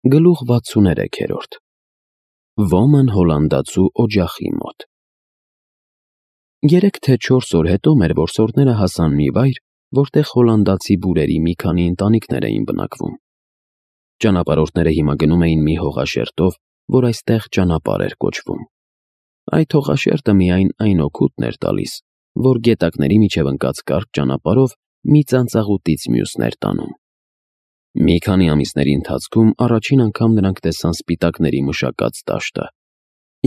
Գլուխ 63 Ոմն հոլանդացու օջախի մոտ 3 թե 4 օր հետո մեր որսորդները հասան մի վայր, որտեղ հոլանդացի բուրերի մի քանի ընտանիքներ էին բնակվում։ Ճանապարհորդները հիմա գնում էին մի հողաշերտով, որ այստեղ ճանապարհ էր կոչվում։ Այդ հողաշերտը միայն այն օգուտն էր տալիս, որ գետակների միջև ընկած կարճ ճանապարհով մի ծանծաղուտից մյուսն էր տանում։ Մի քանի ամիսների ընթացքում առաջին անգամ նրանք տեսան սպիտակների մշակած դաշտը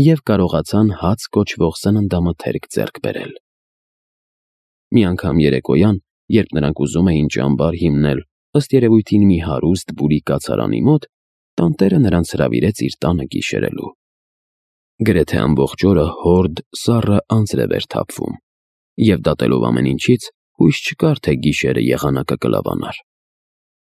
և կարողացան հաց կոչվող սննդամթերք ձեռք բերել։ Մի անգամ երեկոյան, երբ նրանք ուզում էին ճամբար հիմնել ըստ երևույթին մի հարուստ բուրի կացարանի մոտ, տանտերը նրանց հրավիրեց իր տանը գիշերելու։ Գրեթե ամբողջ օրը հորդ, սառը անձրև էր թափվում, և դատելով ամեն ինչից, հույս չկար, թե գիշերը եղանակը կլավանար։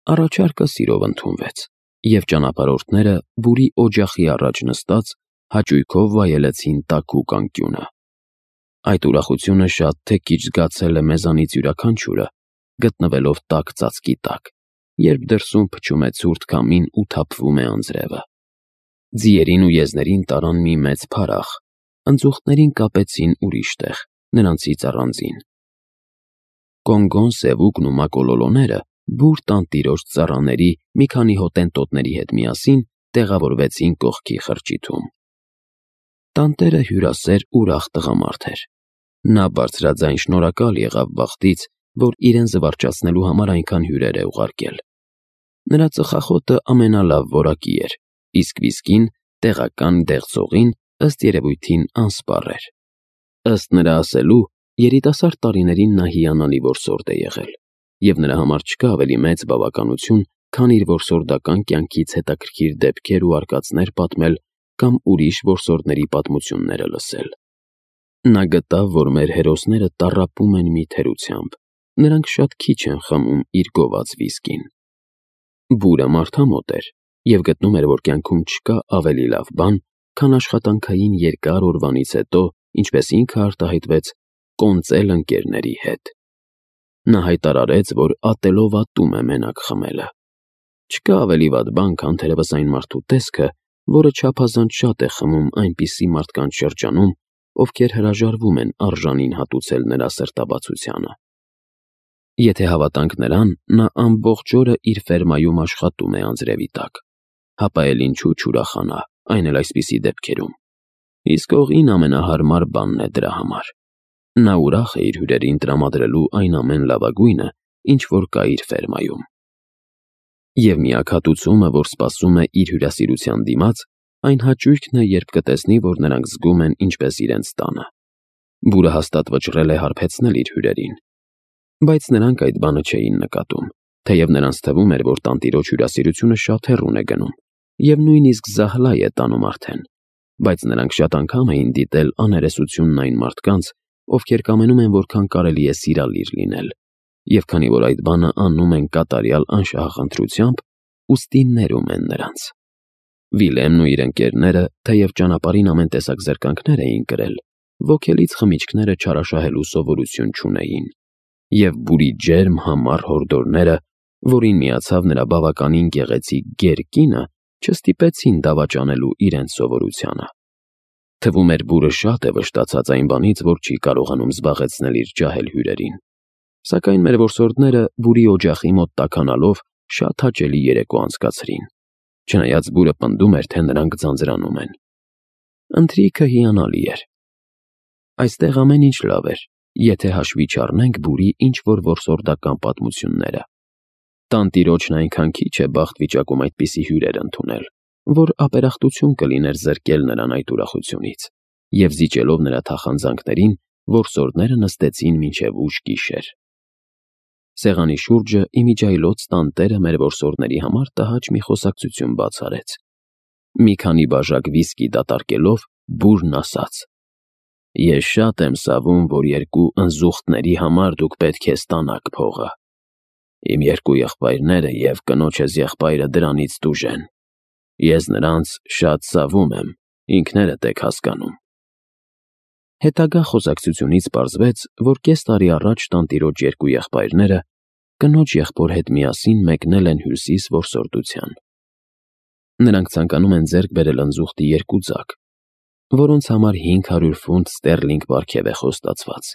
Առաջարկը սիրով ընդունվեց, և ճանապարհորդները բուրի օջախի առաջ նստած հաճույքով վայելեցին տաքուկ անկյունը։ Այդ ուրախությունը շատ թե քիչ զգացել է մեզանից յուրաքանչյուրը, գտնվելով տաք ծածկի տակ, երբ դրսում փչում է ցուրտ քամին ու թափվում է անձրևը։ Ձիերին ու եզներին տարան մի մեծ փարախ, ընձուղտներին կապեցին ուրիշ տեղ, նրանցից առանձին։ Կոնգոն, Սևուկն ու Մակոլոլոները բուր տանտիրոջ ծառաների մի քանի հոտենտոտների հետ միասին տեղավորվեցին կողքի խրճիթում։ Տանտերը հյուրասեր ուրախ տղամարդ էր։ Նա բարձրաձայն շնորհակալ եղավ բախտից, որ իրեն զվարճացնելու համար այնքան հյուրեր է ուղարկել։ Նրա ծխախոտը ամենալավ որակի էր, իսկ վիսկին, տեղական դեղձողին, ըստ երևույթին անսպառ էր։ Ըստ նրա ասելու, երիտասարդ տարիներին նա հիանալի որսորդ է եղել, և նրա համար չկա ավելի մեծ բավականություն, քան իր որսորդական կյանքից հետաքրքիր դեպքեր ու արկածներ պատմել կամ ուրիշ որսորդների պատմությունները լսել։ Նա գտավ, որ մեր հերոսները տառապում են մի թերությամբ, նրանք շատ քիչ են խմում իր գոված վիսկին։ Բուրը մարդամոտ էր և գտնում էր, որ կյանքում չկա ավելի լավ բան, քան աշխատանքային երկար օրվանից հետո, ինչպես ինքը արտահայտվեց, կոնծել ընկերների հետ։ Նա հայտարարեց, որ ատելով ատում է մենակ խմելը։ Չկա ավելի վատ բան, քան թերևս այն մարդու տեսքը, որը չափազանց շատ է խմում այնպիսի մարդկանց շրջանում, ովքեր հրաժարվում են արժանին հատուցել նրա սրտաբացությանը։ Եթե հավատանք նրան, նա ամբողջ օրը իր ֆերմայում աշխատում է անձրևի տակ, հապա էլ ինչու չուրախանա, այն էլ այսպիսի դեպքերում։ Իսկ օղին ամենահարմար բանն է դրա համար։ Նա ուրախ է իր հյուրերին տրամադրելու այն ամեն լավագույնը, ինչ որ կա իր ֆերմայում։ Եվ միակ հատուցումը, որ սպասում է իր հյուրասիրության դիմաց, այն հաճույքն է, երբ կտեսնի, որ նրանք զգում են ինչպես իրենց տանը։ Բուրը հաստատ վճռել է հարբեցնել իր հյուրերին։ Բայց նրանք այդ բանը չէին նկատում, թեև նրանց թվում էր, որ տանտիրոջ հյուրասիրությունը շատ հեռուն է գնում, և նույնիսկ զահլայ է տանում արդեն, բայց նրանք շատ անգամ էին դիտել աներեսությունն այն մարդկանց, ովքեր կամենում են որքան կարելի է սիրալիր լինել, և քանի որ այդ բանը անում են կատարյալ անշահախնդրությամբ, ուստի ներում են նրանց։ Վիլեմն ու իր ընկերները, թեև ճանապարհին ամեն տեսակ զրկանքներ էին կրել, ոգելից խմիչքները չարաշահելու սովորություն չունեին, և բուրի ջերմ համառ հորդորները, որին միացավ նրա բավականին գեղեցիկ գեր կինը, չստիպեցին դավաճանելու իրենց սովորությանը։ Թվում էր բուրը շատ է վշտացած այն բանից, որ չի կարողանում զբաղեցնել իր ջահել հյուրերին։ Սակայն մեր որսորդները բուրի օջախի մոտ տաքանալով շատ հաճելի երեկո անցկացրին, չնայած բուրը պնդում էր, թե նրանք ձանձրանում են։ Ընթրիքը հիանալի էր։ Այստեղ ամեն ինչ լավ էր, եթե հաշվի չառնենք բուրի ինչ-որ որսորդական պատմությունները։ Տանտիրոջն այնքան քիչ է բախտ վիճակում այդպիսի հյուրեր ընդունել, որ ապերախտություն կլիներ զրկել նրան այդ ուրախությունից, և զիջելով նրա թախանձանքներին, որսորդները նստեցին մինչև ուշ գիշեր։ Սեղանի շուրջը իմիջիայլոց տանտերը մեր որսորդների համար տհաճ մի խոսակցություն բաց արեց։ Մի քանի բաժակ վիսկի դատարկելով, բուրն ասաց. «Ես շատ եմ սավում, որ երկու ընձուղտների համար դուք պետք է ստանաք փողը։ Իմ երկու եղբայրները և կնոջս եղբայրը դրանից տուժ են։ Ես նրանց շատ սավում եմ, ինքներդ եք հասկանում»։ Հետագա խոսակցությունից պարզվեց, որ կես տարի առաջ տանտիրոջ երկու եղբայրները կնոջ եղբոր հետ միասին մեկնել են Հյուսիս որսորդության։ Նրանք ցանկանում են ձեռք բերել ընձուղտի 2 ձակ, որոնց համար 500 ֆունտ ստերլինգ պարգև է խոստացված։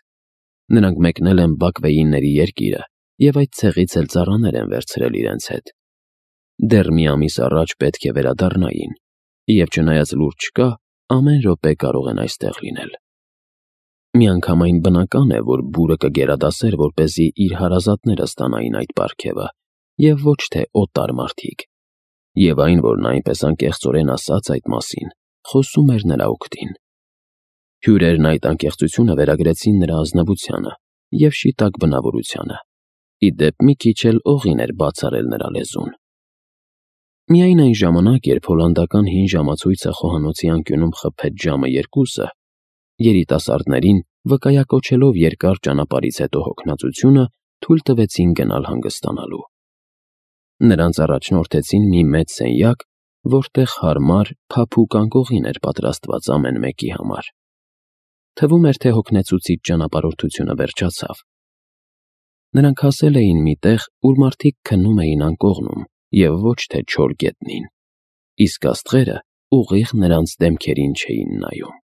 Նրանք մեկնել են Բաքվեյինների երկիրը և այդ ցեղից էլ ծառաներ են վերցրել իրենց հետ։ Դեռ մի ամիս առաջ պետք է վերադառնային, և չնայած լուր չկա, ամեն րոպե կարող են այստեղ լինել։ Միանգամայն բնական է, որ բուրը կգերադասեր, որպեսզի իր հարազատները ստանային այդ պարգևը, և ոչ թե օտար մարդիկ։ Եվ այն, որ նա այնպես անկեղծորեն ասաց այդ մասին, խոսում էր նրա օգտին։ Հյուրերն այդ անկեղծությունը վերագրեցին նրա ազնվությանը և շիտակ բնավորությանը։ Ի դեպ, մի քիչ էլ օղին էր բացառել նրա լեզուն։ Միայն այն ժամանակ, երբ հոլանդական հին ժամացույցը խոհանոցի անկյունում խփեց ժամը 2-ը, երիտասարդներին, վկայակոչելով երկար ճանապարհից հետո հոգնածությունը, թույլ տվեցին գնալ հանգստանալու։ Նրանց առաջնորդեցին մի մեծ սենյակ, որտեղ հարմար, փափուկ անկողին էր պատրաստված ամեն մեկի համար։ Թվում էր, թե հոգնեցուցիչ ճանապարհորդությունը վերջացավ։ Նրանք հասել էին մի տեղ, ուր մարդիկ քնում էին անկողնում, և ոչ թե չոր գետնին, իսկ աստղերը ուղիղ նրանց դեմքերին չէին նայում։